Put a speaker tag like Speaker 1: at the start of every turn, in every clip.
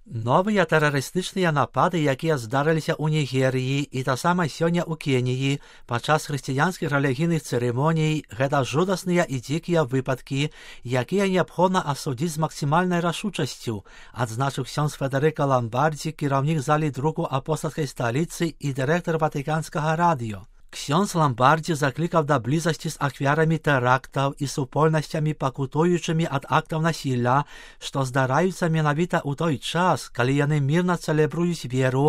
Speaker 1: Новыя тэрарыстычныя напады, якія здарыліся ў Нігерыі і таксама сёння ў Кеніі падчас хрысціянскіх рэлігійных цырымоній, гэта жудасныя і дзікія выпадкі, якія неабходна асудзіць з максімальнай рашучасцю, адзначыў ксёндз Федэрыка Ламбардзі, кіраўнік залі друку апостальскай сталіцы і дырэктар Ватыканскага радыё. Ксёндз Ламбардзі заклікаў да блізасці з ахвярамі тэрактаў і супольнасцямі, пакутуючымі ад актаў насілля, што здараюцца менавіта ў той час, калі яны мірна цэлебруюць веру,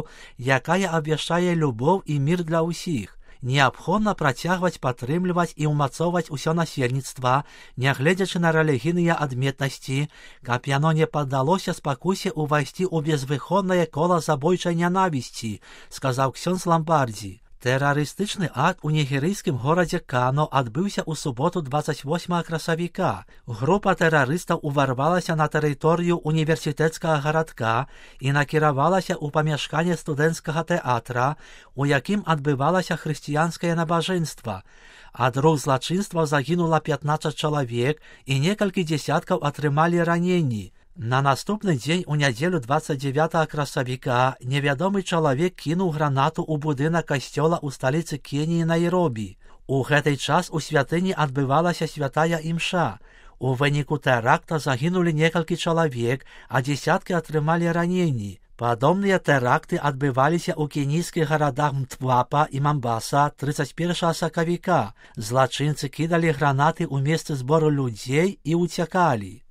Speaker 1: якая абвяшчае любоў і мір для ўсіх. Неабходна працягваць падтрымліваць і ўмацоўваць усё насельніцтва, нягледзячы на рэлігійныя адметнасці, каб яно не паддалося спакусе ўвайсці ў безвыходнае кола забойчай нянавісці, сказаў ксёндз Ламбардзі. Тэрарыстычны акт у нігерыйскім горадзе Кано адбыўся ў суботу 28 красавіка. Група тэрарыстаў уварвалася на тэрыторыю універсітэцкага гарадка і накіравалася ў памяшканне студэнцкага тэатра, у якім адбывалася хрысціянскае набажэнства. Ад рук злачынстваў загінула 15 чалавек і некалькі дзесяткаў атрымалі раненні. На наступны дзень у нядзелю 29 красавіка невядомы чалавек кінуў гранату ў будынак касцёла ў сталіцы Кеніі Найробі. У гэты час у святыні адбывалася святая імша. У выніку тэракта загінулі некалькі чалавек, а дзесяткі атрымалі раненні. Падобныя тэракты адбываліся ў кенійскіх гарадах Мтвапа і Мамбаса 31 сакавіка. Злачынцы кідалі гранаты ў месцы збору людзей і ўцякалі.